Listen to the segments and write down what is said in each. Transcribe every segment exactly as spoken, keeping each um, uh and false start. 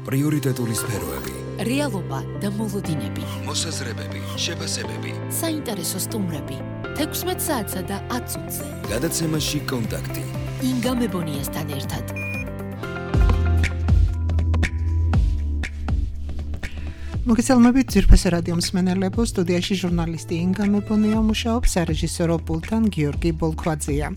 პრიორიტეტული სფეროები, რეალობა და მოლოდინები, მოსაზრებები, შეფასებები, საინტერესო სტუმრები, თექვსმეტ საათსა და ათ წუთზე. გადაცემაში კონტაქტი. ინგა მებონიასთან ერთად. მოგესალმებით ძირფესე რადიო მსმენელებო, სტუდიაში ჟურნალისტი ინგა მებონია მუშაობს, სარეჟისორო პულტთან გიორგი ბოლქვაძეა.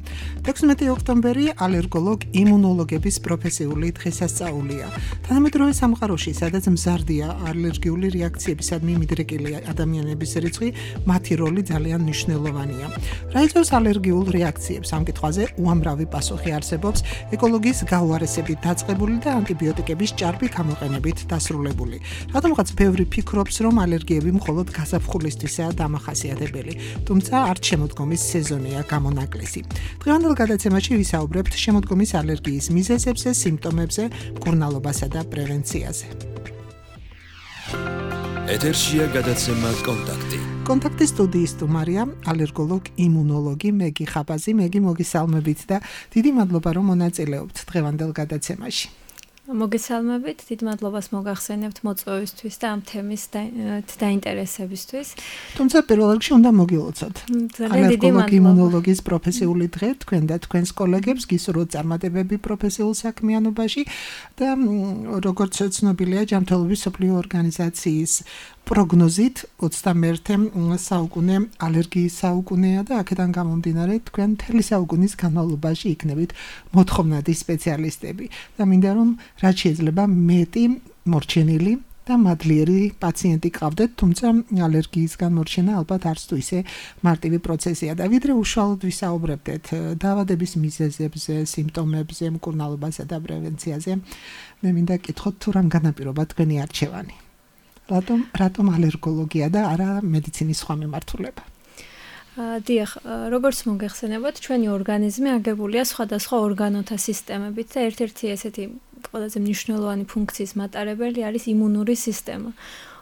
თექვსმეტი ოქტომბერი ალერგოლოგ იმუნოლოგების პროფესიული დღესასწაულია. თანამედროვე სამყაროში, სადაც მზარდია ალერგიული რეაქციებისადმი მიდრეკილი ადამიანების რიცხვი, მათი როლი ძალიან მნიშვნელოვანია. რა იწვევს ალერგიულ რეაქციებს? ამ კითხვაზე უამრავი პასუხი არსებობს, ეკოლოგიის გაუარესებით დაწყებული და ანტიბიოტიკების ჭარბი გამოყენებით დასრულებული. რატომღაც ბევრი ფიქრობს, რომ ალერგიები მხოლოდ გაზაფხულისთვისაა დამახასიათებელი, თუმცა არც შემოდგომის სეზონია გამონაკლისი. დღევანდელ გადაცემაში ვისაუბრებთ შემოდგომის ალერგიის მიზეზებზე, სიმპტომებზე, მკურნალობასა და პრევენციაზე. ეთერშია გადაცემა კონტაქტი. კონტაქტის სტუდიის სტუმარია ალერგოლოგ იმუნოლოგი მეგი ხაბაზი. მეგი, მოგესალმებით და დიდი მადლობა, რომ მონაწილეობთ დღევანდელ გადაცემაში. მოგესალმებით, დიდ მადლობას მოგახსენებთ მოწვევისთვის და ამ თემის დაინტერესებისთვის. თუმცა პირველ რიგში უნდა მოგილოცოთ. ალერგოლოგი იმუნოლოგის პროფესიული დღე თქვენ და თქვენს კოლეგებს გისურვოთ წარმატებები პროფესიულ საქმიანობაში და როგორც ცნობილია, ჯანმრთელობის მსოფლიო ორგანიზაციის პროგნოზით ოცდამეერთე საუკუნე ალერგიის საუკუნეა და აქედან გამომდინარე თქვენ მთელი საუკუნის განმავლობაში იქნებით მოთხოვნადი სპეციალისტები და მინდა რომ რაც შეიძლება მეტი მორჩენილი და მადლიერი პაციენტი გყავდეთ, თუმცა ალერგიისგან მორჩენა ალბათ არც თუ ისე მარტივი პროცესია და ვიდრე უშუალოდ ვისაუბრებდეთ დაავადების მიზეზებზე, სიმპტომებზე, მკურნალობასა და პრევენციაზე, მე მინდა გკითხოთ თუ რამ განაპირობა თქვენი არჩევანი. რატომ რატომ ალერგოლოგია და არა მედიცინის სხვა მიმართულება? დიახ, როგორც მოგეხსენებათ, ჩვენი ორგანიზმი აგებულია სხვადასხვა ორგანოთა სისტემებით და ერთ-ერთი ესეთი ყველაზე მნიშვნელოვანი ფუნქციის მატარებელი არის იმუნური სისტემა.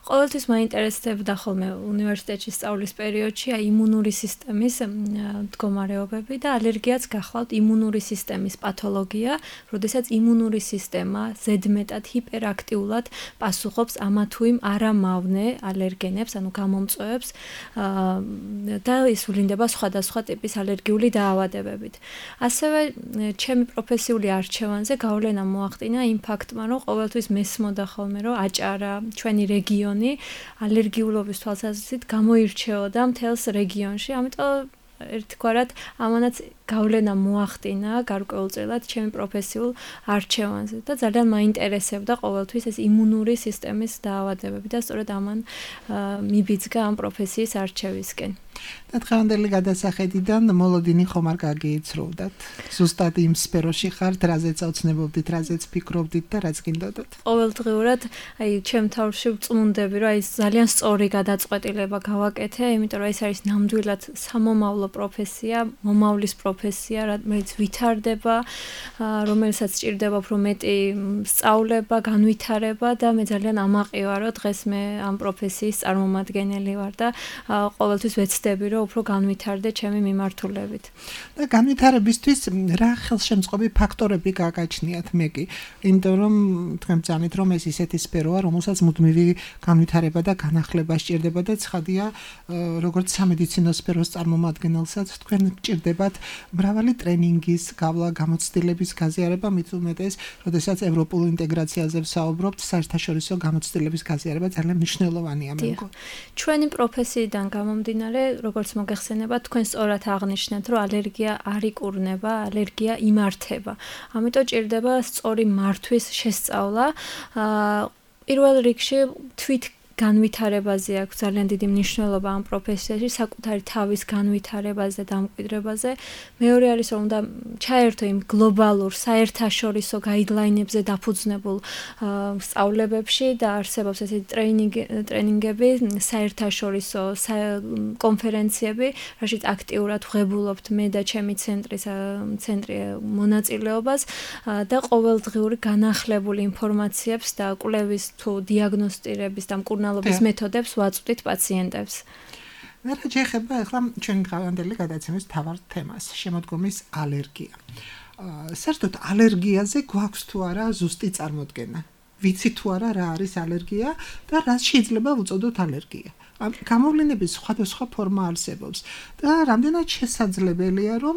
ყოველთვის მაინტერესებდა ხოლმე უნივერსიტეტში სწავლის პერიოდში აი იმუნური სისტემის მდგომარეობები და ალერგიაც გახლავთ იმუნური სისტემის პათოლოგია, როდესაც იმუნური სისტემა ზედმეტად ჰიპერაქტიულად პასუხობს ამა თუ იმ არამავნე ალერგენებს, ანუ გამომწვევებს და ის ვლინდება სხვადასხვა ტიპის ალერგიული დაავადებებით. ასევე ჩემი პროფესიული არჩევანზე გავლენა მოახდინა იმ ფაქტმა, რომ ყოველთვის მესმოდა ხოლმე, რომ აჭარა, ჩვენი რეგიონი ალერგიულობის თვალსაზრისით გამოირჩეოდა მთელს რეგიონში, ამიტომ ერთგვარად ამანაც გავლენა მოახდინა გარკვეულწილად ჩემი პროფესიულ არჩევანზე და ძალიან მაინტერესებდა ყოველთვის ეს იმუნური სისტემის დაავადებები და სწორედ ამან მიბიძგა ამ პროფესიის არჩევისკენ. და დღევანდელი გადასახედიდან მოლოდინი ხომ არ გაგიიცროვდათ? ზუსტად იმ სფეროში ხართ, რაზეც ოცნებობდით, რაზეც ფიქრობდით და რაც გინდოდათ? ყოველდღიურად აი ჩემ თავში ვწმუნდები, რომ აი ძალიან სწორი გადაწყვეტილება გავაკეთე, იმიტომ რომ ეს არის ნამდვილად სამომავლო პროფესია, მომავლის პროფესია, რომელიც ვითარდება, რომელსაც სჭირდება უფრო მეტი სწავლება, განვითარება და მე ძალიან ამაყივარ, რომ დღეს მე ამ პროფესიის წარმომადგენელი ვარ და ყოველთვის ვეცდები, რომ უფრო განვითარდე ჩემი მიმართულებით. და განვითარებისთვის რა ხელშემწყობი ფაქტორები გაგაჩნიათ მეგი? იმიტომ რომ თქვენ ბრძანეთ, რომ ეს ისეთი სფეროა, რომელსაც მუდმივი განვითარება და განახლება სჭირდება და ცხადია, როგორც სამედიცინო სფეროს წარმომადგენელსაც თქვენ გჭირდებათ მრავალი ტრენინგის გავლა, გამოცდილების გაზიარება, მით უმეტეს, როდესაც ევროპულ ინტეგრაციაზე ვსაუბრობთ, საერთაშორისო გამოცდილების გაზიარება ძალიან მნიშვნელოვანია მე მგონი. ჩვენი პროფესიიდან გამომდინარე, როგორც მოგეხსენებათ, თქვენ სწორად აღნიშნეთ, რომ ალერგია არ იკურნება, ალერგია იმართება. ამიტომ ჭირდება სწორი მართვის შესწავლა. პირველ რიგში თვით განვითარებაზე აქვს ძალიან დიდი მნიშვნელობა ამ პროფესიაში, საკუთარი თავის განვითარებაზე და დამკვიდრებაზე. მეორე არის, რომ უნდა ჩაერთო იმ გლობალურ საერთაშორისო გაიდლაინებზე დაფუძნებულ სწავლებებში და არსებობს ესეთი ტრენინგები, საერთაშორისო კონფერენციები, რაშიც აქტიურად ვღებულობთ მე და ჩემი ცენტრის ცენტრი მონაწილეობას და ყოველდღიური განახლებული ინფორმაციებს და კვლევის თუ დიაგნოსტირების და მკურნალობის მეთოდებს ვაწვდით პაციენტებს. რა შეიძლება ახლა ჩვენ დღევანდელი გადაცემის მთავარ თემას, შემოდგომის ალერგია. საერთოდ ალერგიაზე გვაქვს თუ არა ზუსტი წარმოდგენა? ვიცი თუ არა რა არის ალერგია და რას შეიძლება ვუწოდოთ ალერგია. გამოვლენების სხვადასხვა ფორმა არსებობს და რამდენად შესაძლებელია რომ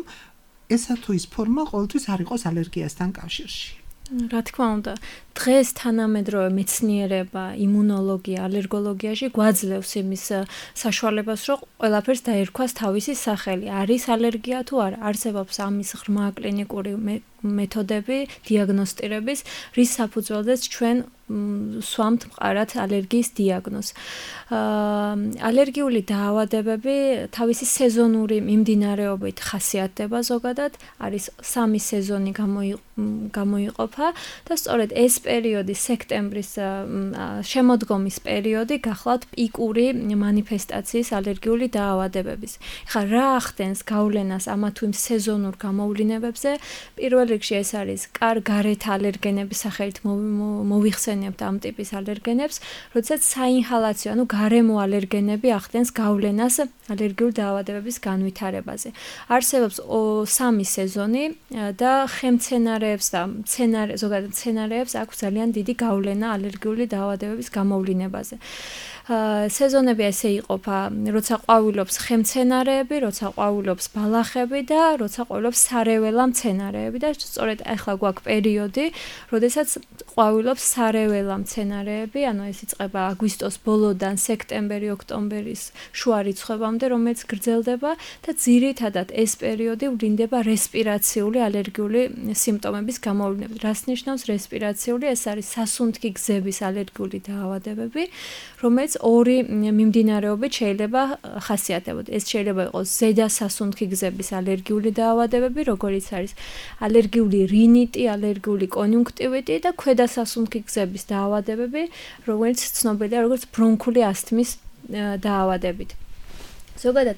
ესა თუ ის ფორმა ყოველთვის არ იყოს ალერგიასთან კავშირში. რა თქმა უნდა, დღეს თანამედროვე მეცნიერება, იმუნოლოგია, ალერგოლოგიაში გვაძლევს იმის საშუალებას, რომ ყველაფერს დაერქვას თავისი სახელი. არის ალერგია თუ არა, არსებობს ამის ღრმა კლინიკური მეთოდები დიაგნოსტირების, რის საფუძველზეც ჩვენ სვამთ მყარად ალერგიის დიაგნოზს. ალერგიული დაავადებები თავისი სეზონური მიმდინარეობით ხასიათდება ზოგადად, არის სამი სეზონი გამოიყოფა და სწორედ ეს პერიოდი, სექტემბრის შემოდგომის პერიოდი გახლავთ პიკური მანიფესტაციის ალერგიული დაავადებების. ეხლა რა ახდენს გავლენას ამა თუ იმ სეზონურ გამოვლინებებზე? პირველ რიგში ეს არის კარგარეთ ალერგენების სახელით მოვიხსენებთ ამ ტიპის ალერგენებს, როდესაც საინჰალაციო, ანუ გარემო ალერგენები ახდენს გავლენას ალერგიული დაავადებების განვითარებაზე. არსებობს სამი სეზონი და ხელმცენარეებს და მცენარე ზოგადად მცენარეებს აქვს ძალიან დიდი გავლენა ალერგიული დაავადებების გამოვლინებაზე. სეზონები ესე იყოფა, როცა ყვავილობს ხემცენარეები, როცა ყვავილობს ბალახები და როცა ყვავილობს სარეველა მცენარეები და სწორედ ახლა გვაქვს პერიოდი, როდესაც ყვავილობს სარეველა მცენარეები, ანუ ეს იწყება აგვისტოს ბოლოდან სექტემბერი, ოქტომბერის შუა რიცხვებამდე, რომელიც გრძელდება და ძირითადად ეს პერიოდი ვლინდება რესპირაციული ალერგიული სიმპტომების გამოვლინებით. რას ნიშნავს რესპირაციული? ეს არის სასუნთქი გზების ალერგიული დაავადებები, რომელიც ორი მიმდინარეობით შეიძლება ხასიათებოთ. ეს შეიძლება იყოს ზედა სასუნთქი გზების ალერგიული დაავადებები, როგორიც არის ალერგიული რინიტი, ალერგიული კონიუნქტივიტი და ქვედა სასუნთქი გზების დაავადებები, რომელიც ცნობილია როგორც ბრონქული ასთმის დაავადებით. ზოგადად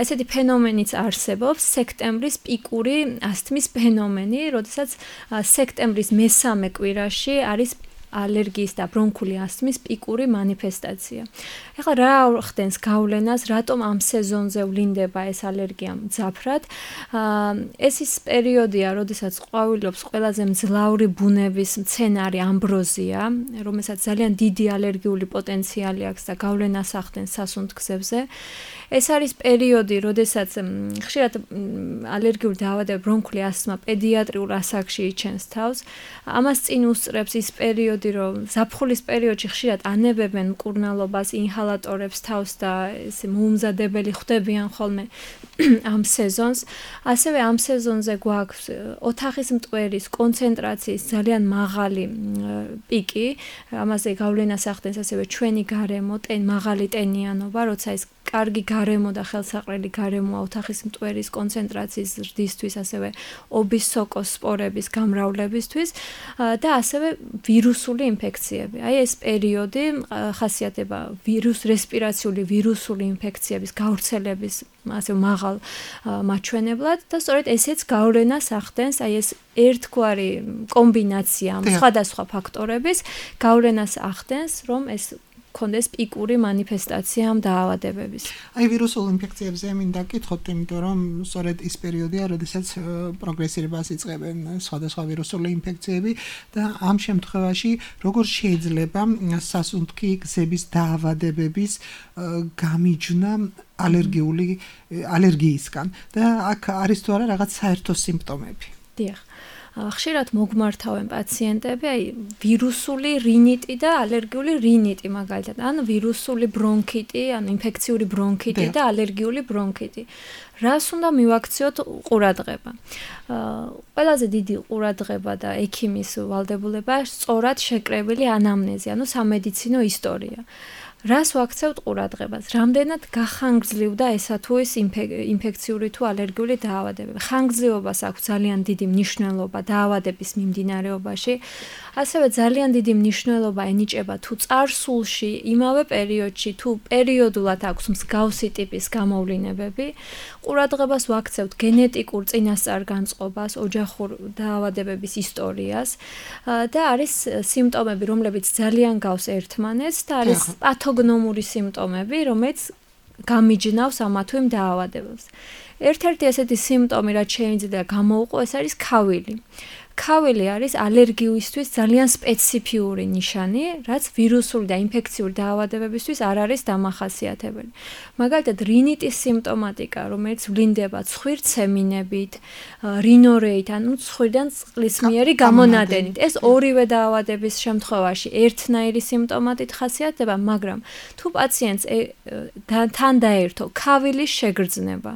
ესეთი ფენომენიც არსებობს, სექტემბრის პიკური ასთმის ფენომენი, როდესაც სექტემბრის მესამე კვირაში არის ალერგიის და ბრონქული ასთმის პიკური მანიფესტაცია. ეხლა რა ხდენს გავლენას, რატომ ამ სეზონზე ვლინდება ეს ალერგია მძაფრად? ეს ის პერიოდია, როდესაც ყვავილობს ყველაზე მძლავრი ბუნების მცენარე ამბროზია, რომელსაც ძალიან დიდი ალერგიული პოტენციალი აქვს და გავლენას ახდენს სასუნთქებზე. ეს არის პერიოდი, როდესაც ხშირად ალერგიული დაავადება ბრონქული ასთმა პედიატრიულ ასაკში იჩენს თავს. ამას წინ უსწრებს ის პერიოდი, რომ ზაფხულის პერიოდში ხშირად ანებებენ მკურნალობას, ინჰალატორებს თავს და ესე მოუმზადებელი ხდებიან ხოლმე ამ სეზონს. ასევე ამ სეზონზე გვაქვს ოთახის მტვერის კონცენტრაციის ძალიან მაღალი პიკი, ამაზე გავლენას ახდენს ასევე ჩვენი გარემო, ტენ მაღალი ტენიანობა, როცა ეს კარგი გარემო და ხელსაყრელი გარემოა ოთახის მტვერის კონცენტრაციის ზრდისთვის, ასევე ობის სოკოს სპორების გამრავლებისთვის და ასევე ვირუსული ინფექციები. აი ეს პერიოდი ხასიათდება ვირუს რესპირაციული ვირუსული ინფექციების გავრცელების ასე მაღალ მაჩვენებლად და სწორედ ესეც გავლენას ახდენს, აი ეს ერთგვარი კომბინაცია სხვადასხვა ფაქტორების გავლენას ახდენს, რომ ეს კონდეს პიკური მანიფესტაცია ამ დაავადებების. აი ვირუსულ ინფექციებზე მინდა გკითხოთ, იმიტომ რომ სწორედ ის პერიოდია, როდესაც პროგრესირებას იწყებენ სხვადასხვა ვირუსული ინფექციები და ამ შემთხვევაში როგორ შეიძლება სასუნთქი გზების დაავადებების გამიჯვნა ალერგიული ალერგიისგან და აქ არის თუ არა რაღაც საერთო სიმპტომები? დიახ. ხშირად მოგმართავენ პაციენტები, აი ვირუსული რინიტი და ალერგიული რინიტი მაგალითად, ან ვირუსული ბრონქიტი, ან ინფექციური ბრონქიტი და ალერგიული ბრონქიტი. რას უნდა მივაქციოთ ყურადღება? ყველაზე დიდი ყურადღება და ექიმის ვალდებულება სწორად შეკრებილი ანამნეზი, ანუ სამედიცინო ისტორია. რას ვაქცევთ ყურადღებას? რამდენად გახანგრძლივდა ესა თუ ის ინფექციური თუ ალერგიული დაავადებები? ხანგრძლივობას აქვს ძალიან დიდი მნიშვნელობა დაავადების მიმდინარეობაში. ასევე ძალიან დიდი მნიშვნელობა ენიჭება თუ წარსულში, იმავე პერიოდში, თუ პერიოდულად აქვს მსგავსი ტიპის გამოვლინებები. ყურადღებას ვაქცევთ გენეტიკურ წინასწარ-განწყობას, ოჯახურ დაავადებების ისტორიას და არის სიმპტომები, რომლებიც ძალიან გავს ერთმანეთს და არის პათოგნომური სიმპტომები, რომელიც გამიჯნავს ამა თუ იმ დაავადებებს. ერთ-ერთი ესეთი სიმპტომი, რაც შეიძლება გამოვყო, ეს არის ქავილი. ქავილი არის ალერგიისთვის ძალიან სპეციფიური ნიშანი, რაც ვირუსული და ინფექციური დაავადებებისთვის არ არის დამახასიათებელი. მაგალითად, რინიტის სიმპტომატიკა, რომელიც ვლინდება ცხვირცემინებით, რინორეით, ანუ ცხვირიდან წყლისმიერი გამონადენით. ეს ორივე დაავადების შემთხვევაში ერთნაირი სიმპტომატით ხასიათდება, მაგრამ თუ პაციენტს თან დაერთო ქავილის შეგრძნება,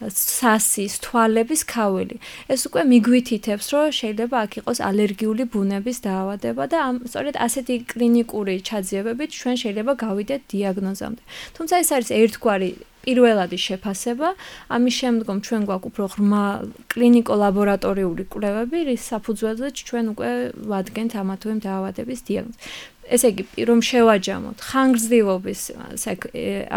სასის, თვალების ქავილი. ეს უკვე მიგვითითებს, რომ შეიძლება აქ იყოს ალერგიული ბუნების დაავადება და ამ სწორედ ასეთი კლინიკური ჩაძიებებით ჩვენ შეიძლება გავიდეთ დიაგნოზამდე. თუმცა ეს არის ერთგვარი პირველადი შეფასება, ამის შემდგომ ჩვენ გვაქვს უფრო ღრმა კლინიკო-ლაბორატორიული კვლევები, რის საფუძველზეც ჩვენ უკვე ვადგენთ ამა თუ იმ დაავადების დიაგნოზს. ესე იგი, რომ შევაჯამოთ, ხანგრძლივობის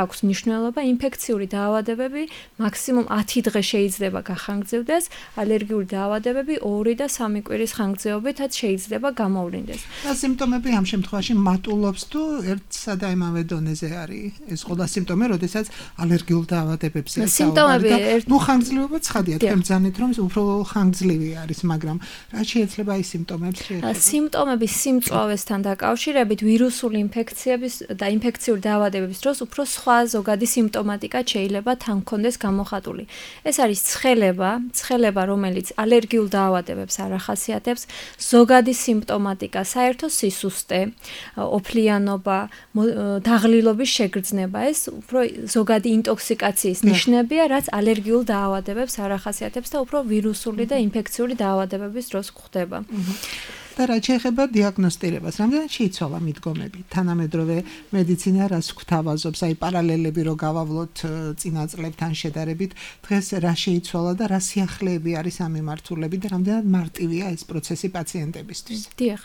აქვს მნიშვნელობა, ინფექციური დაავადებები მაქსიმუმ ათი დღე შეიძლება გახანგრძლივდეს, ალერგიული დაავადებები ორი და სამი კვირის ხანგრძლივობითაც შეიძლება გამოვლინდეს. და სიმპტომები ამ შემთხვევაში მატულობს თუ ერთსა და იმავე დონეზე არის ეს ყველა სიმპტომი, როდესაც ალერგიულ დაავადებებზე სიმპტომები ნუ ხანგრძლივობა ცხადია, თქვენ ბრძანეთ, რომ უფრო ხანგრძლივი არის, მაგრამ რა შეიძლება ის სიმპტომებს შეეხება? სიმპტომები სიმწვავესთან დაკავშირებით ვირუსული ინფექციების და ინფექციური დაავადებების დროს უფრო სხვა ზოგადი სიმპტომატიკა შეიძლება თან კონდეს გამოხატული. ეს არის ცხელება, ცხელება, რომელიც ალერგიულ დაავადებებს არ ახასიათებს, ზოგადი სიმპტომატიკა, საერთო სისუსტე, ოფლიანობა, დაღლილობის შეგრძნება, ეს უფრო ზოგადი ინტოქსიკაციის ნიშნებია, რაც ალერგიულ დაავადებებს არ ახასიათებს და უფრო ვირუსული და ინფექციური დაავადებების დროს გვხდება. და რა შეეხება დიაგნოსტირებას, რამდენად შეიცვალა მიდგომები? თანამედროვე მედიცინა რას გვთავაზობს, აი პარალელები რო გავავლოთ წინა წლებთან შედარებით, დღეს რა შეიცვალა და რა სიახლეები არის ამ მიმართულებით და რამდენად მარტივია ეს პროცესი პაციენტებისთვის? დიახ.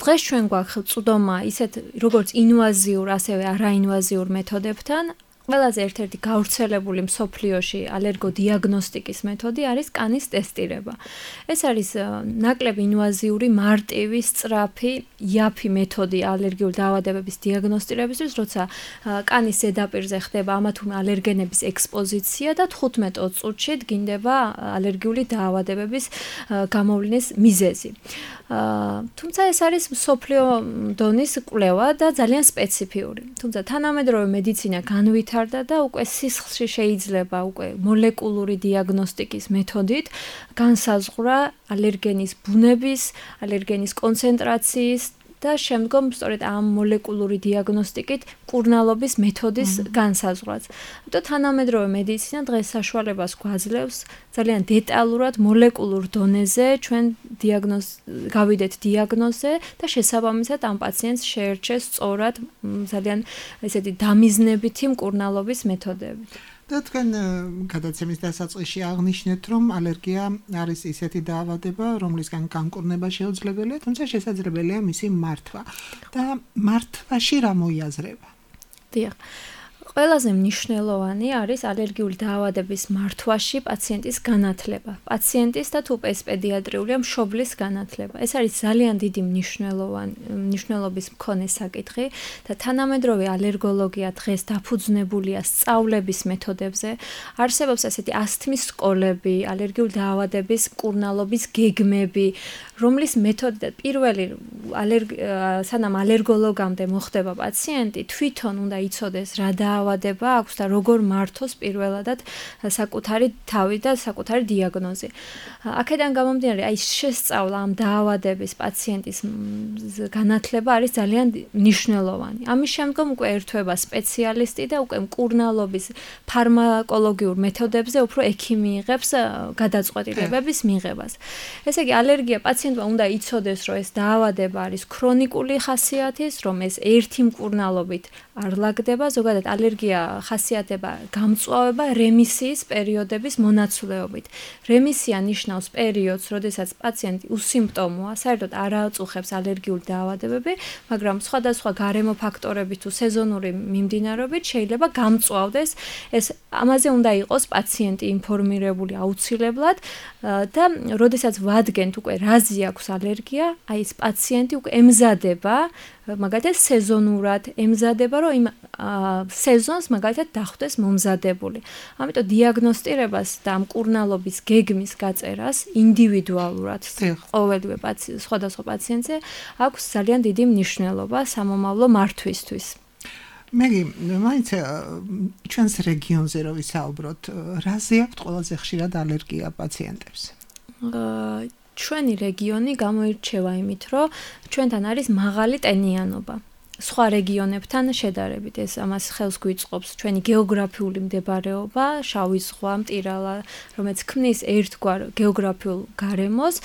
დღეს ჩვენ გვაქვს წვდომა ისეთ როგორც ინვაზიურ, ასევე არაინვაზიურ მეთოდებთან. ყველაზე ერთ-ერთი გავრცელებული მსოფლიოში ალერგოდიაგნოსტიკის მეთოდი არის კანის ტესტირება. ეს არის ნაკლები ინვაზიური, მარტივი, სწრაფი, იაფი მეთოდი ალერგიული დაავადებების დიაგნოსტირებისთვის, როცა კანის ზედაპირზე ხდება ამა თუ იმ ალერგენების ექსპოზიცია და თხუთმეტ წუთში დგინდება ალერგიული დაავადებების გამოვლენის მიზეზი. თუმცა ეს არის მსოფლიო დონის კვლევა და ძალიან სპეციფიური. თუმცა თანამედროვე მედიცინა განვითარდა და უკვე სისხლში შეიძლება უკვე მოლეკულური დიაგნოსტიკის მეთოდით განსაზღვრა ალერგენის ბუნების, ალერგენის კონცენტრაციის და შემდგომ სწორედ ამ მოლეკულური დიაგნოსტიკით კურნალობის მეთოდის განსაზღვრაც. და თანამედროვე მედიცინა დღეს საშუალებას გვაძლევს ძალიან დეტალურად მოლეკულურ დონეზე ჩვენ დიაგნოზ გავიდეთ დიაგნოზზე და შესაბამისად ამ პაციენტს შეერჩეს სწორად ძალიან ესეთი დამიზნებითი მკურნალობის მეთოდები. და თქვენ გადაცემის დასაწყისში აღნიშნეთ, რომ ალერგია არის ისეთი დაავადება, რომლისგან განკურნება შეუძლებელია, თუმცა შესაძლებელია მისი მართვა. და მართვაში რა მოიაზრება? დიახ. ყველაზე მნიშვნელოვანი არის ალერგიული დაავადების მართვაში პაციენტის განათლება. პაციენტის და თუ ეს პედიატრიულია მშობლის განათლება. ეს არის ძალიან დიდი მნიშვნელოვანი მნიშვნელობის მქონე საკითხი და თანამედროვე ალერგოლოგია დღეს დაფუძნებულია სწავლების მეთოდებზე. არსებობს ასეთი ასთმის სკოლები, ალერგიული დაავადების მკურნალობის გეგმები, რომლის მეთოდი პირველი სანამ ალერგოლოგამდე მოხდება პაციენტი, თვითონ უნდა იცოდეს რა დაავადება აქვს და როგორ მართოს პირველადად საკუთარი თავი და საკუთარი დიაგნოზი. აქედან გამომდინარე, აი შესწავლა ამ დაავადების პაციენტის განათლება არის ძალიან მნიშვნელოვანი. ამის შემდგომ უკვე ერთვება სპეციალისტი და უკვე მკურნალობის ფარმაკოლოგიურ მეთოდებზე უფრო ექიმი იღებს გადაწყვეტილებების მიღებას. ესე იგი, ალერგია პაციენტმა უნდა იცოდეს, რომ ეს დაავადება არის ქრონიკული ხასიათის, რომ ეს ერთი მკურნალობით არ ლაგდება, ზოგადად ალერგია ხასიათდება გამწვავება რემისიის პერიოდების მონაცვლეობით. რემისია ნიშნავს პერიოდს, როდესაც პაციენტი უსიმპტომოა, საერთოდ არ აწუხებს ალერგიული დაავადებები, მაგრამ სხვადასხვა გარემო ფაქტორებით თუ სეზონური მიმდინარეობით შეიძლება გამწვავდეს. ეს ამაზე უნდა იყოს პაციენტი ინფორმირებული აუცილებლად და როდესაც ვადგენთ უკვე რაზე აქვს ალერგია, აი ეს პაციენტი უკვე ემზადება, მაგალითად სეზონურად ემზადება, რომ იმ სეზონს მაგალითად დახვდეს მომზადებული. ამიტომ დიაგნოსტირებას და ამ მკურნალობის გეგმის გაწერას ინდივიდუალურად ყოველივე პაციენტ სხვადასხვა პაციენტზე აქვს ძალიან დიდი მნიშვნელობა სამომავლო მართვისთვის. მე მაინც ჩვენს რეგიონზე რო ვისაუბროთ, რაზე აქვთ ყველაზე ხშირად ალერგია პაციენტებს? ჩვენი რეგიონი გამოირჩევა იმით, რომ ჩვენთან არის მაღალი ტენიანობა. სხვა რეგიონებთან შედარებით ეს ამას ხელს გვიწყობს ჩვენი გეოგრაფიული მდებარეობა, შავი ზღვა, მტირალა, რომელიც ქმნის ერთგვარ გეოგრაფიულ გარემოს,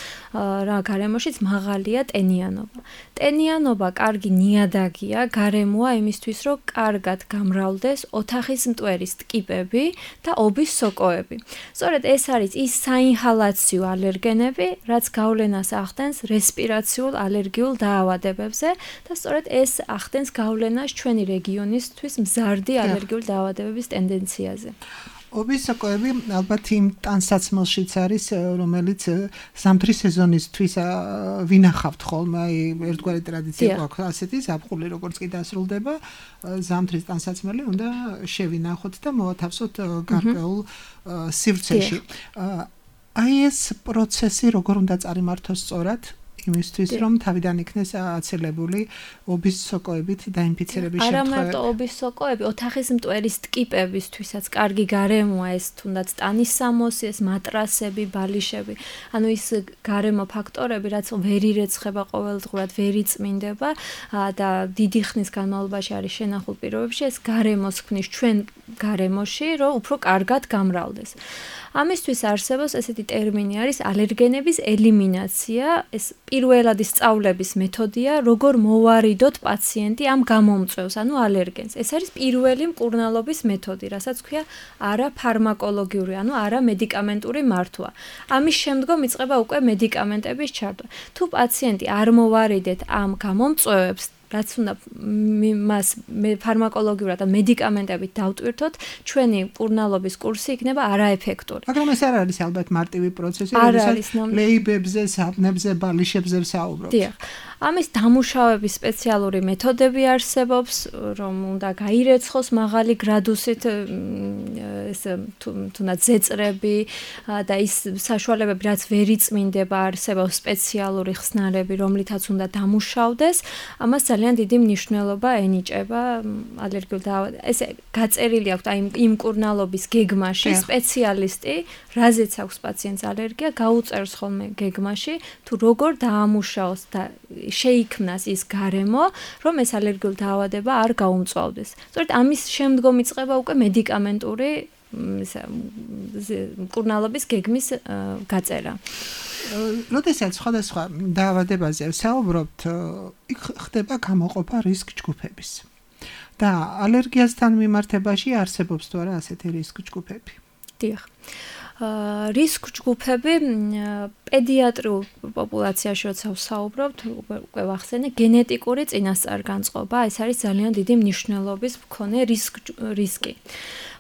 რა გარემოშიც მაღალია ტენიანობა. ტენიანობა კარგი ნიადაგია, გარემოა იმისთვის, რომ კარგად გამრავლდეს ოთახის მტვერის ტკიპები და ობის სოკოები. სწორედ ეს არის ის საინჰალაციო ალერგენები, რაც გავლენას ახდენს რესპირაციულ ალერგიულ დაავადებებზე და სწორედ ეს ახდენს გავლენას ჩვენი რეგიონისთვის მზარდი ალერგიული დაავადებების ტენდენციაზე. ობის სოკოები ალბათ იმ ტანსაცმელშიც არის, რომელიც ზამთრის სეზონისთვის ვინახავთ ხოლმე, აი ერთგვარი ტრადიცია გვაქვს ასეთი ზაფხული როგორც კი დასრულდება, ზამთრის ტანსაცმელი უნდა შევინახოთ და მოვათავსოთ გარკვეულ სივრცეში. აი ეს პროცესი როგორ უნდა წარიმართოს სწორად? იმისთვის რომ თავიდან იქნეს აცილებული ობის სოკოებით დაინფიცირების შემთხვევები. არა მარტო ობის სოკოები, ოთახის მტვერის ტკიპებისთვისაც კარგი გარემოა ეს თუნდაც ტანის სამოსი, ეს მატრასები, ბალიშები. ანუ ის გარემო ფაქტორები, რაც ვერ ირეცხება ყოველდღურად, ვერ იწმინდება და დიდი ხნის განმავლობაში არის შენახულ პირობებში, ეს გარემოს ქმნის ჩვენ გარემოში, რომ უფრო კარგად გამრავლდეს. ამისთვის არსებობს ესეთი ტერმინი არის ალერგენების ელიმინაცია, ეს პირველადი სწავლების მეთოდია, როგორ მოვარიდოთ პაციენტი ამ გამომწვევს, ანუ ალერგენს. ეს არის პირველი მკურნალობის მეთოდი, რასაც ქვია არაფარმაკოლოგიური, ანუ არამედიკამენტური მართვა. ამის შემდგომ იწყება უკვე მედიკამენტების ჩართვა. თუ პაციენტი არ მოვარიდეთ ამ გამომწვევებს, რაც უნდა მას ფარმაკოლოგიურად და მედიკამენტებით დავტვირთოთ, ჩვენი მკურნალობის კურსი იქნება არაეფექტური. მაგრამ ეს არ არის ალბათ მარტივი პროცესი, როდესაც ლეიბებზე, საბნებზე, ბალიშებზე ვსაუბრობთ. დიახ. ამის დამუშავების სპეციალური მეთოდები არსებობს, რომ უნდა გაირეცხოს მაღალი გრადუსით ეს თუნდაც ზეწრები და ის საშუალებები, რაც ვერ იწმინდება, არსებობს სპეციალური ხსნარები, რომლითაც უნდა დამუშავდეს. ამას ძალიან დიდი მნიშვნელობა ენიჭება ალერგიულ დაავადებებში. ესე გაწერილი აქვს აი იმ მკურნალობის გეგმაში სპეციალისტი, რაზეც აქვს პაციენტს ალერგია, გაუწერს ხოლმე გეგმაში, თუ როგორ დაამუშავოს და შეიქმნას ის გარემო, რომ ეს ალერგიული დაავადება არ გაუმწვავდეს. სწორედ ამის შემდგომ იწყება უკვე მედიკამენტური მკურნალობის გეგმის გაწერა. როდესაც სხვადასხვა დაავადებაზე ვსაუბრობთ, იქ ხდება გამოყოფა რისკ ჯგუფების. და ალერგიასთან მიმართებაში არსებობს თუ არა ასეთი რისკ ჯგუფები? დიახ. რისკ ჯგუფები პედიატრიულ პოპულაციაში როცა ვსაუბრობთ, უკვე ვახსენე, გენეტიკური წინასწარ-განწყობა, ეს არის ძალიან დიდი მნიშვნელობის მქონე რისკი.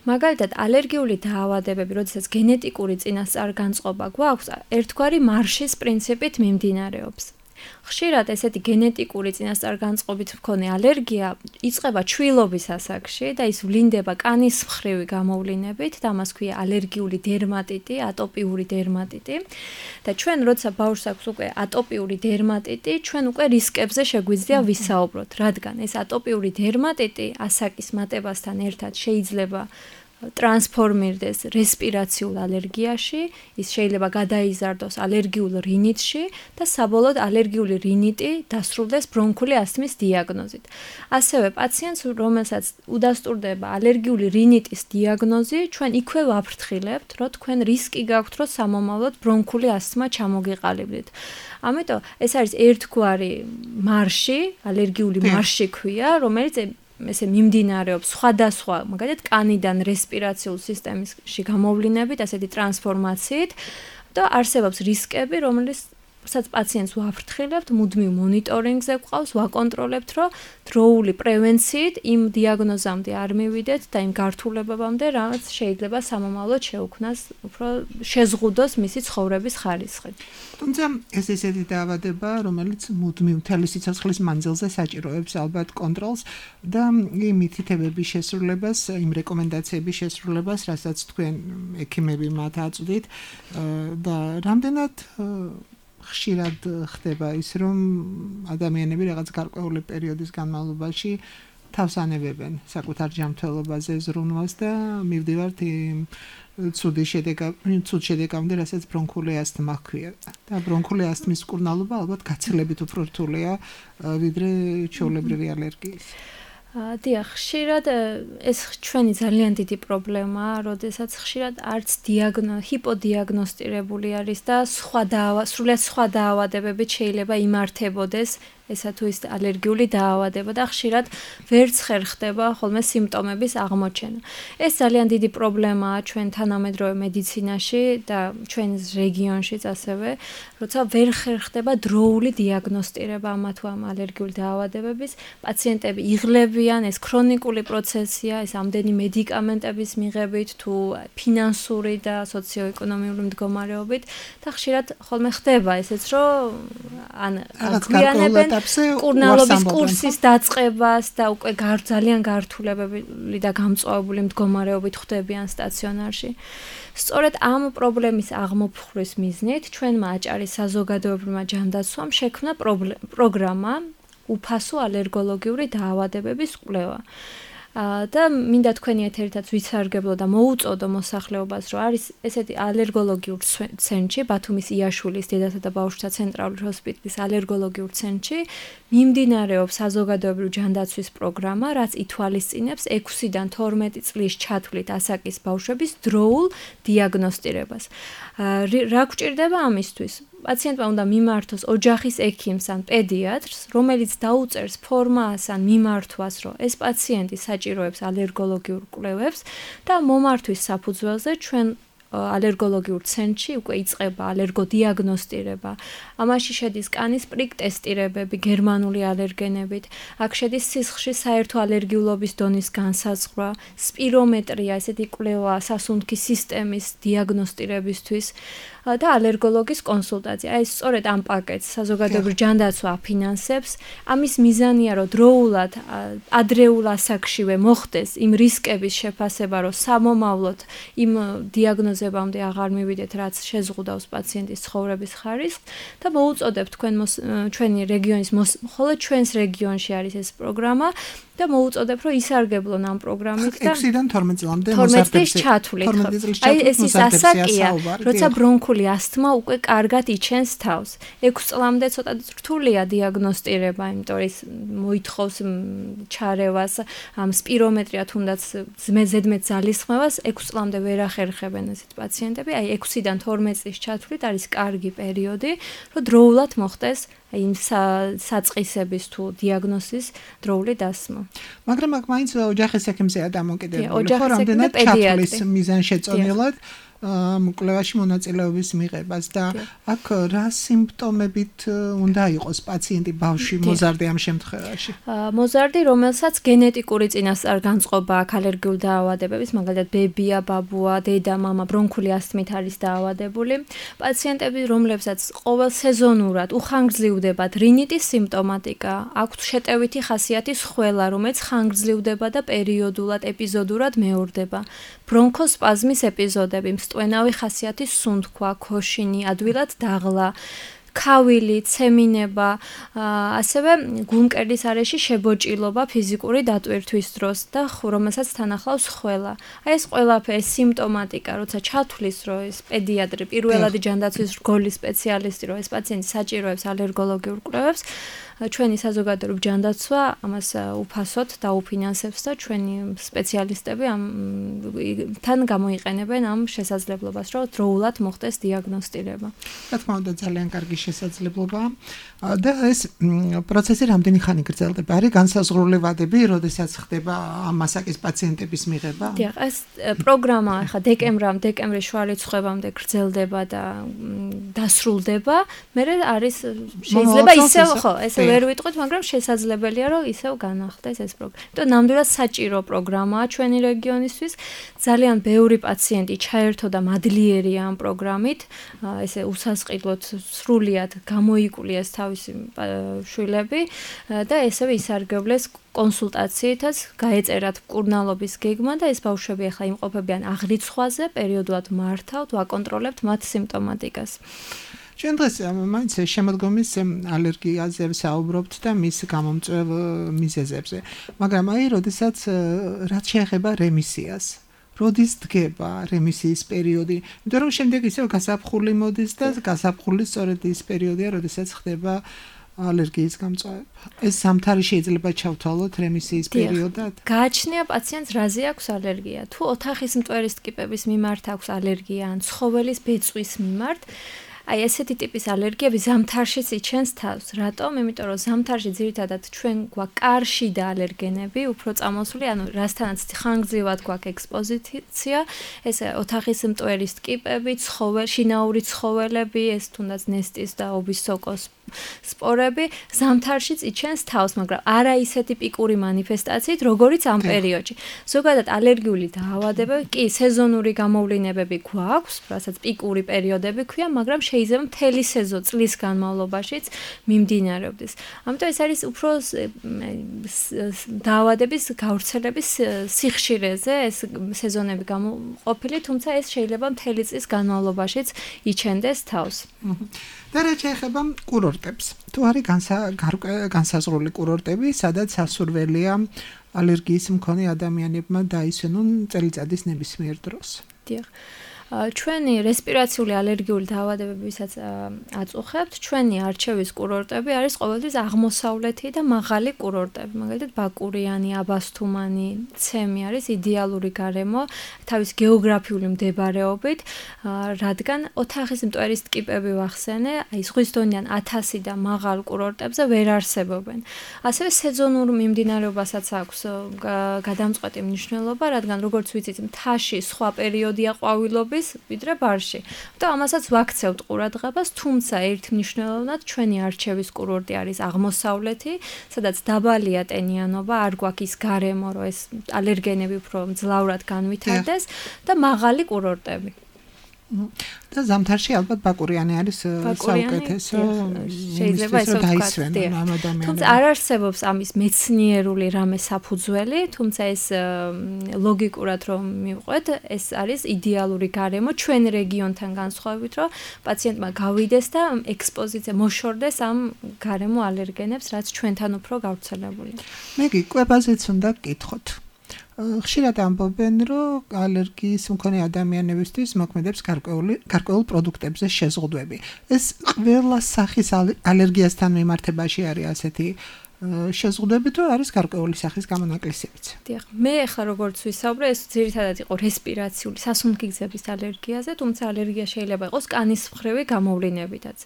მაგალითად, ალერგიული დაავადებები, როდესაც გენეტიკური წინასწარ-განწყობა გვაქვს, ერთგვარი მარშის პრინციპით მიმდინარეობს. ხშირად ესეთი გენეტიკური წინასწარ-განწყობით მქონე ალერგია იწყება ჩვილობის ასაკში და ის ვლინდება კანის მხრივი გამოვლინებით და ამას ქვია ალერგიული დერმატიტი, ატოპიური დერმატიტი. და ჩვენ როცა ბავშვს აქვს უკვე ატოპიური დერმატიტი, ჩვენ უკვე რისკებზე შეგვიძლია ვისაუბროთ, რადგან ეს ატოპიური დერმატიტი ასაკის მატებასთან ერთად შეიძლება ტრანსფორმირდეს რესპირაციულ ალერგიაში, ის შეიძლება გადაიზარდოს ალერგიულ რინიტში და საბოლოოდ ალერგიული რინიტი დასრულდეს ბრონქული ასთმის დიაგნოზით. ასევე პაციენტს, რომელსაც უდასტურდება ალერგიული რინიტის დიაგნოზი, ჩვენ იქვე ვაფრთხილებთ, რომ თქვენ რისკი გაქვთ, რომ სამომავლოდ ბრონქული ასთმა ჩამოგიყალიბდეთ. ამიტომ ეს არის ერთგვარი მარში, ალერგიული მარში ქვია, რომელიც ესე მიმდინარეობს სხვადასხვა, მაგალითად, კანიდან რესპირაციულ სისტემაში გამოვლინებით, ასეთი ტრანსფორმაციით და არსებობს რისკები, რომელიც სადაც პაციენტს ვაფრთხილებთ, მუდმივ მონიტორინგზე გვყავს, ვაკონტროლებთ, რომ დროული პრევენციით იმ დიაგნოზამდე არ მივიდეთ და იმ გართულებამდე, რაც შეიძლება სამომავლოდ შეუქმნას, უფრო შეზღუდოს მისი ცხოვრების ხარისხი. თუმცა ეს ესეთი დაავადება, რომელიც მუდმივ მთელი სიცოცხლის მანძილზე საჭიროებს ალბათ კონტროლს და იმ მითითებების შესრულებას, იმ რეკომენდაციების შესრულებას, რასაც თქვენ ექიმები მათ აწვდით და რამდენად ხშირად ხდება ის, რომ ადამიანები რაღაც გარკვეული პერიოდის განმავლობაში თავს ანებებენ საკუთარ ჯანმრთელობაზე ზრუნვას და მივდივართ იმ ცუდი შედეგამდე, ცუდ შედეგამდე, რასაც ბრონქული ასთმა ჰქვია. და ბრონქული ასთმის მკურნალობა ალბათ გაცილებით უფრო რთულია ვიდრე ჩვეულებრივი ალერგიის. დიახ, ხშირად ეს ჩვენი ძალიან დიდი პრობლემაა, როდესაც ხშირად არც დიაგნო, ჰიპოდიაგნოსტირებული არის და სხვა დაავა, სრულიად სხვა დაავადებებით შეიძლება იმართებოდეს ესა თუ ის ალერგიული დაავადება და ხშირად ვერც ხერ ხდება ხოლმე სიმპტომების აღმოჩენა. ეს ძალიან დიდი პრობლემაა ჩვენ თანამედროვე მედიცინაში და ჩვენ რეგიონშიც ასევე, როცა ვერ ხერ ხდება დროული დიაგნოსტირება ამა თუ ამ ალერგიული დაავადებების, პაციენტები იღლებიან, ეს ქრონიკული პროცესია, ეს ამდენი მედიკამენტების მიღებით თუ ფინანსური და სოციოეკონომიური მდგომარეობით და ხშირად ხოლმე ხდება ესეც, რომ ან გვიანებენ კურნალობის კურსის დაწყებას და უკვე ძალიან გართულებები და გამწვავებული მდგომარეობით ხვდებიან სტაციონარში. სწორედ ამ პრობლემის აღმოფხვრის მიზნით ჩვენმა აჭარის საზოგადოებრივმა ჯანდაცვამ შექმნა პროგრამა უფასო ალერგოლოგიური დაავადებების კვლევა. და მინდა თქვენი ეთერითაც ვიცარგებლო და მოუწოდო მოსახლეობას, რომ არის ესეთი ალერგოლოგიურ ცენტრი, ბათუმის იაშვილის დედათა და ბავშვთა ცენტრალური ჰოსპიტალის ალერგოლოგიურ ცენტრი, მიმდინარეობს საზოგადოებრივი ჯანდაცვის პროგრამა, რაც ითვალისწინებს ექვსიდან თორმეტი წლის ჩათვლით ასაკის ბავშვების დროულ დიაგნოსტირებას. რა გვჭირდება ამისთვის? პაციენტმა უნდა მიმართოს ოჯახის ექიმს ან პედიატრს, რომელიც დაუწერს ფორმას ან მიმართვას, რომ ეს პაციენტი საჭიროებს ალერგოლოგიურ კვლევებს და მომართვის საფუძველზე ჩვენ ალერგოლოგიურ ცენტრში უკვე იწყება ალერგოდიაგნოსტირება. ამაში შედის კანის პრიკ ტესტირებები გერმანული ალერგენებით, აქ შედის სისხლში საერთო ალერგიულობის დონის განსაზღვრა, სპირომეტრია, ესეთი კვლევა სასუნთქი სისტემის დიაგნოსტირებისთვის და ალერგოლოგის კონსულტაცია. აი სწორედ ამ პაკეტს საზოგადოებრივი ჯანდაცვა აფინანსებს. ამის მიზანია, რომ დროულად ადრეულ ასაკშივე მოხდეს იმ რისკების შეფასება, რომ სამომავლოდ იმ დიაგნოზებამდე აღარ მივიდეთ, რაც შეზღუდავს პაციენტის ცხოვრების ხარისხს და მოუწოდებთ თქვენ ჩვენი რეგიონის მხოლოდ ჩვენს რეგიონში არის ეს პროგრამა და მოუწოდებ, რომ ისარგებლონ ამ პროგრამით და ექვსიდან თორმეტ წლამდე მოზარდებს ჩათვლით. აი ეს ის ასაკია, როცა ბრონქული ასთმა უკვე კარგად იჩენს თავს. ექვს წლამდე ცოტა რთულია დიაგნოსტირება, იმიტომ ის მოითხოვს ჩარევას, ამ სპირომეტრია თუნდაც ზედმეტ ძალისხმევას ექვს წლამდე ვერ ახერხებენ ესეთ პაციენტები. აი ექვსიდან თორმეტ წლის ჩათვლით არის კარგი პერიოდი, რომ დროულად მოხდეს იმ საწყისების თუ დიაგნოზის დროული დასმა. მაგრამ აქ მაინც ოჯახის ექიმზეა დამოკიდებული, ხო, რამდენად ჩათვლის მიზანშეწონილად კვლევაში მონაწილეობის მიღებას და აქ რა სიმპტომებით უნდა იყოს პაციენტი ბავშვი მოზარდი ამ შემთხვევაში? მოზარდი, რომელსაც გენეტიკური წინასწარ-განწყობა აქვს ალერგიული დაავადებების, მაგალითად ბებია, ბაბუა, დედა, მამა ბრონქული ასთმით არის დაავადებული. პაციენტები, რომლებსაც ყოველ სეზონურად უხანგრძლივდებათ რინიტის სიმპტომატიკა, აქვთ შეტევითი ხასიათის ხველა, რომელიც ხანგრძლივდება და პერიოდულად, ეპიზოდურად მეორდება. ბრონქოსპაზმის ეპიზოდები, მსტვენავი ხასიათის სუნთქვა, ქოშინი, ადვილად დაღლა, ქავილი, ცემინება, ასევე გულმკერდის არეში შებოჭილობა ფიზიკური დატვირთვის დროს და რომელსაც თან ახლავს ხველა. აი ეს ყველაფერი სიმპტომატიკა, როცა ჩათვლის, რომ ეს პედიატრი, პირველადი ჯანდაცვის რგოლის სპეციალისტი, რომ ეს პაციენტი საჭიროებს ალერგოლოგიურ კვლევებს, ჩვენი საზოგადოებრივი ჯანდაცვა ამას უფასოდ დაუფინანსებს და ჩვენი სპეციალისტები ამ თან გამოიყენებენ ამ შესაძლებლობას, რომ დროულად მოხდეს დიაგნოსტირება. რა თქმა უნდა, ძალიან კარგი შესაძლებლობაა და ეს პროცესი რამდენი ხანი გრძელდება? არის განსაზღვრული ვადები, როდესაც ხდება ამ მასაკის პაციენტების მიღება? დიახ, ეს პროგრამა ახლა დეკემბრამდე, დეკემბრის შუა რიცხვებამდე გრძელდება და დასრულდება. მერე არის შეიძლება ისევ ხო, ესე ვერ ვიტყვით, მაგრამ შესაძლებელია, რომ ისევ განახდეს ეს პროგრამა. იმიტომ ნამდვილად საჭირო პროგრამაა ჩვენი რეგიონისთვის. ძალიან ბევრი პაციენტი ჩაერთო და მადლიერია ამ პროგრამით. ესე უსასყიდლოდ სრულიად გამოიკულიეს თავისი შვილები და ესევე ისარგებლეს კონსულტაციითაც, გაეწერათ მკურნალობის გეგმა და ეს ბავშვები ახლა იმყოფებიან აღრიცხვაზე, პერიოდულად მართავთ, ვაკონტროლებთ მათ სიმპტომატიკას. ჩვენ დღეს მაინც შემოდგომის ალერგიაზე ვსაუბრობთ და მის გამომწვევ მიზეზებზე. მაგრამ აი, როდესაც რაც შეეხება რემისიას, როდის დგება რემისიის პერიოდი? იმიტომ რომ შემდეგ ისევ გასაფხული მოდის და გასაფხული სწორედ ის პერიოდია, როდესაც ხდება ალერგიის გამწვავება. ეს ზამთარი შეიძლება ჩავთვალოთ რემისიის პერიოდად? გააჩნია პაციენტს რაზე აქვს ალერგია. თუ ოთახის მტვერის ტკიპების მიმართ აქვს ალერგია ან ცხოველის ბეწვის მიმართ, აი ესეთი ტიპის ალერგიები ზამთარშიც იჩენს თავს. რატომ? იმიტომ რომ ზამთარში ძირითადად ჩვენ გვაქვს კარში და ალერგენები, უფრო წამოსული, ანუ რასთანაც ხანგრძლივად გვაქვს ექსპოზიცია, ეს ოთახის მტვერის ტკიპები, ცხოველი, შინაური ცხოველები, ეს თუნდაც ნესტის და ობისოკოს სპორები ზამთარშიც იჩენს თავს, მაგრამ არა ისეთი პიკური მანიფესტაციით, როგორიც ამ პერიოდში. ზოგადად ალერგიული დაავადებები, კი, სეზონური გამოვლინებები გვაქვს, რასაც პიკური პერიოდები ქვია, მაგრამ შეიძლება მთელი სეზონი წლის განმავლობაშიც მიმდინარეობდეს. ამიტომ ეს არის უფრო დაავადების გავრცელების სიხშირეზე ეს სეზონები გამოყოფილი, თუმცა ეს შეიძლება მთელი წლის განმავლობაშიც იჩენდეს თავს. და რა შეეხება კურორტებს? თუ არის განსაზღვრული კურორტები, სადაც სასურველია ალერგიის მქონე ადამიანებმა დაისვენონ წელიწადის ნებისმიერ დროს? დიახ. ჩვენი რესპირაციული ალერგიული დაავადებებისაც აწუხებთ, ჩვენი არჩევის კურორტები არის ყოველთვის აღმოსავლეთი და მაღალი კურორტები, მაგალითად ბაკურიანი, აბასთუმანი, ცემი არის იდეალური გარემო თავის გეოგრაფიული მდებარეობით, რადგან ოთახის მტვერის ტკიპები ვახსენე, აი ზღვის დონიდან ათასი და მაღალ კურორტებზე ვერ არსებობენ. ასევე სეზონურ მიმდინარეობასაც აქვს გადამწყვეტი მნიშვნელობა, რადგან როგორც ვიცით, მთაში სხვა პერიოდია ყვავილობის ვიდრე ბარში. და ამასაც ვაქცევთ ყურადღებას, თუმცა ერთმნიშვნელოვნად ჩვენი არჩევის კურორტი არის აღმოსავლეთი, სადაც დაბალია ტენიანობა, არ გვაქვს ის გარემო, რომ ეს ალერგენები უფრო მძლავრად განვითარდეს და მაღალი კურორტები. და ზამთარში ალბათ ბაკურიანი არის საუკეთესო, შეიძლება ესე ვთქვათ. თუმცა არ არსებობს ამის მეცნიერული რამე საფუძველი, თუმცა ეს ლოგიკურად რომ მივყვეთ, ეს არის იდეალური გარემო ჩვენ რეგიონთან განსხვავებით, რომ პაციენტმა გავიდეს და ექსპოზიცია მოშორდეს ამ გარემო ალერგენებს, რაც ჩვენთან უფრო გავრცელებულია. მეგი კვებაზეც უნდა გკითხოთ. ხშირად ამბობენ, რომ ალერგიის მქონე ადამიანებისთვის მოქმედებს გარკვეული გარკვეულ პროდუქტებზე შეზღუდვები. ეს ყველა სახის ალერგიასთან მიმართებაში არის ასეთი შეზღუდვები, თუ არის გარკვეული სახის გამონაკლისებიც. დიახ, მე ახლა როგორც ვისაუბრე, ეს ძირითადად იყო რესპირაციული სასუნთქი გზების ალერგიაზე, თუმცა ალერგია შეიძლება იყოს კანის მხრივი გამოვლინებითაც.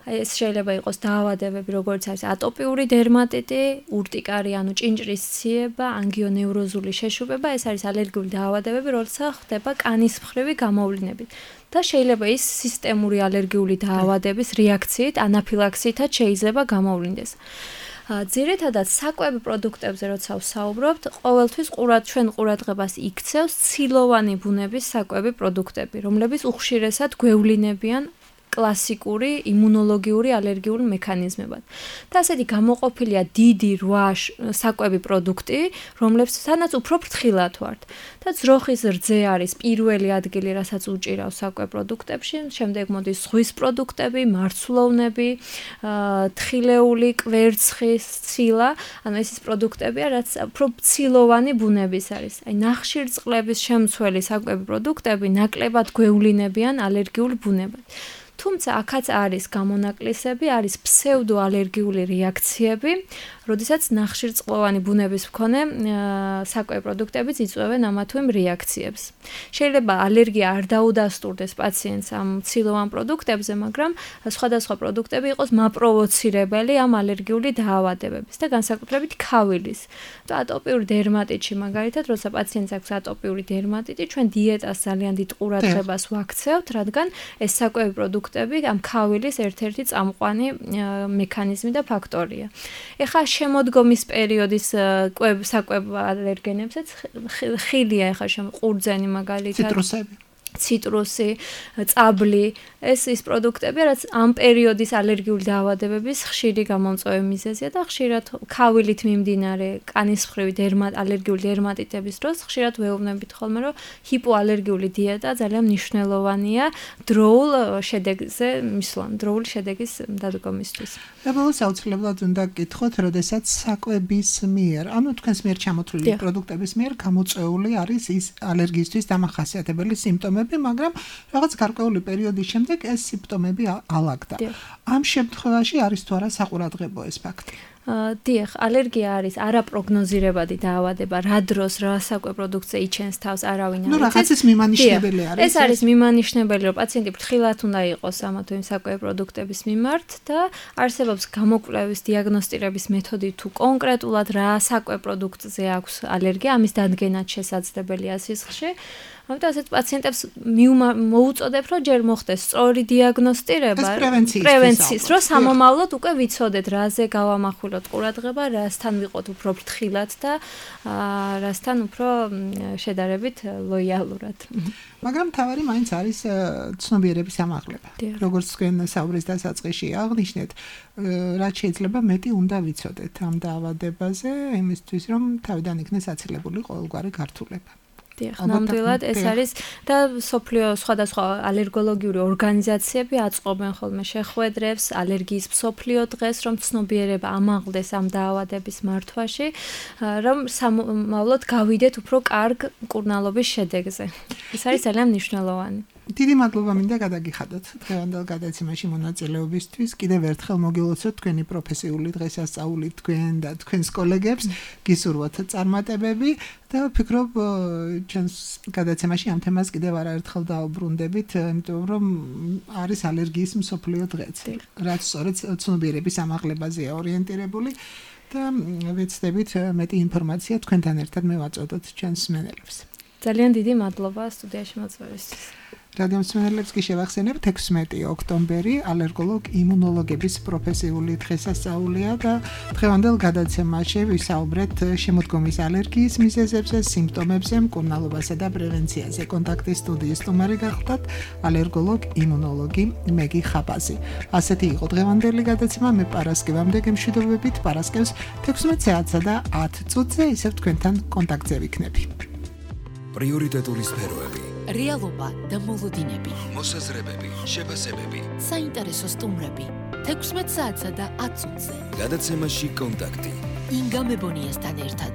ეს შეიძლება იყოს დაავადებები, როგორც არის ატოპიური დერმატიტი, ურტიკარი, ანუ ჭინჭრის ციება, ანგიონევროზული შეშუბება, ეს არის ალერგიული დაავადებები, როცა ხდება კანის მხრივი გამოვლინებით. და შეიძლება ის სისტემური ალერგიული დაავადების რეაქციით, ანაფილაქსიითაც შეიძლება გამოვლინდეს. ძირითადად საკვები პროდუქტებზე როცა ვსაუბრობთ, ყოველთვის ყურად ჩვენ ყურადღებას იქცევს ცილოვანი ბუნების საკვები პროდუქტები, რომლებიც უხშირესად გვევლინებიან კლასიკური იმუნოლოგიური ალერგიული მექანიზმებად. და ასეთი გამოყოფილია დიდი რვა საკვები პროდუქტი, რომლებსაც უფრო ფრთხილად ვართ. და ძროხის რძე არის პირველი ადგილი, რასაც უჭირავს საკვებ პროდუქტებში, შემდეგ მოდის ზღვის პროდუქტები, მარცვლოვნები, თხილეული, კვერცხი, ცილა, ანუ ეს ის პროდუქტებია, რაც უფრო ცილოვანი ბუნების არის. აი ნახშირწყლების შემცველი საკვები პროდუქტები ნაკლებად გვევლინებიან ალერგიულ ბუნებად. თუმცა აქაც არის გამონაკლისები, არის ფსევდოალერგიული რეაქციები, როდესაც ნახშირწყლოვანი ბუნების მქონე საკვები პროდუქტებიც იწვევენ ამა თუ იმ რეაქციებს. შეიძლება ალერგია არ დაუდასტურდეს პაციენტს ამ ცილოვან პროდუქტებზე, მაგრამ სხვადასხვა პროდუქტები იყოს მაპროვოცირებელი ამ ალერგიული დაავადებების და განსაკუთრებით ქავილის. და ატოპიური დერმატიტში მაგალითად, როცა პაციენტს აქვს ატოპიური დერმატიტი, ჩვენ დიეტას ძალიან დიდ ყურადღებას ვაქცევთ, რადგან ეს საკვები პროდუქტები ამ ქავილის ერთ-ერთი წამყვანი მექანიზმი და ფაქტორია. ეხლა შემოდგომის პერიოდის საკვებ ალერგენებსაც ხილია ეხლა შემ ყურძენი მაგალითად ციტრუსები ციტრუსი, წაბლი, ეს ის პროდუქტები, რაც ამ პერიოდის ალერგიული დაავადებების ხშირი გამომწვევი მიზეზია და ხშირად ქავილით მიმდინარე კანის მხრივი დერმატ ალერგიული დერმატიტების დროს ხშირად ვეუბნებით ხოლმე, რომ ჰიპოალერგიული დიეტა ძალიან მნიშვნელოვანია დროულ შედეგზე მისვლამ, დროული შედეგის დადგომისთვის. აბოლოს აუცილებლად უნდა გკითხოთ, როდესაც საკვების მიერ, ანუ თქვენს მიერ ჩამოთვლილი პროდუქტების მიერ გამოწვეული არის ის ალერგიისთვის დამახასიათებელი სიმპტომები, მაგრამ რაღაც გარკვეული პერიოდის შემდეგ ეს სიმპტომები ალაგდა. ამ შემთხვევაში არის თუ არა საყურადღებო ეს ფაქტი? დიახ, ალერგია არის არაპროგნოზირებადი დაავადება, რა დროს რა საკვებ პროდუქტზე იჩენს თავს არავინ არ იცის. ნუ რაღაცის მიმანიშნებელი არის. ეს არის მიმანიშნებელი, რომ პაციენტი ფრთხილად უნდა იყოს ამა თუ იმ საკვებ პროდუქტების მიმართ და არსებობს გამოკვლევის დიაგნოსტირების მეთოდი თუ კონკრეტულად რა საკვებ პროდუქტზე აქვს ალერგია, ამის დადგენაც შესაძლებელია სისხლში. ამიტომ ასეთ პაციენტებს მოუწოდებ, რომ ჯერ მოხდეს სწორი დიაგნოსტირება, პრევენციის, რომ სამომავლოდ უკვე ვიცოდეთ, რაზე გავამახვილოთ ყურადღება, რასთან ვიყოთ უფრო ფრთხილად და რასთან უფრო შედარებით ლოიალურად. მაგრამ თავარი მაინც არის ცნობიერების ამაღლება. როგორც თქვენ საუბრის დასაწყისში აღნიშნეთ, რაც შეიძლება მეტი უნდა ვიცოდეთ ამ დაავადებაზე, იმისთვის რომ თავიდან იქნეს აცილებული ყოველგვარი გართულება. დიახ, ნამდვილად ეს არის და სოფლიო სხვადასხვა ალერგოლოგიური ორგანიზაციები აწყობენ ხოლმე შეხვედრებს, ალერგიის მსოფლიო დღეს, რომ ცნობიერება ამაღლდეს ამ დაავადების მართვაში, რომ სამომავლოდ გავიდეთ უფრო კარგ მკურნალობის შედეგზე. ეს არის ძალიან მნიშვნელოვანი. დიდი მადლობა მინდა გადაგიხადოთ დღევანდელ გადაცემაში მონაწილეობისთვის. კიდევ ერთხელ მოგილოცოთ თქვენი პროფესიული დღესასწაული თქვენ და თქვენს კოლეგებს, გისურვოთ წარმატებები და ვფიქრობ, ჩვენს გადაცემაში ამ თემას კიდევ არაერთხელ დაუბრუნდებით, იმიტომ რომ არის ალერგიის მსოფლიო დღეც, რაც სწორედ ცნობიერების ამაღლებაზეა ორიენტირებული და ვეცდებით მეტი ინფორმაცია თქვენთან ერთად მევაწოდოთ ჩვენს მსმენელებს. ძალიან დიდი მადლობა სტუდიაში მოწვევისთვის. რადიო მსმენელებს კი შევახსენებთ ექვსმეტი ოქტომბერი ალერგოლოგ იმუნოლოგების პროფესიული დღესასწაულია და დღევანდელ გადაცემაში ვისაუბრეთ შემოდგომის ალერგიის მიზეზებზე, სიმპტომებზე, მკურნალობასა და პრევენციაზე. კონტაქტის სტუდიის სტუმარი გახლდათ ალერგოლოგ იმუნოლოგი მეგი ხაპაზი. ასეთი იყო დღევანდელი გადაცემა. მე პარასკევამდე გემშვიდობებით, პარასკევს თექვსმეტ საათსა და ათ წუთზე ისევ თქვენთან კონტაქტზე ვიქნები. პრიორიტეტული სფეროები, რეალობა და მოლოდინები, მოსაზრებები, შეფასებები, საინტერესო სტუმრები, თექვსმეტ საათსა და ათ წუთზე. გადაცემაში კონტაქტი. ინგა მებონიასთან ერთად.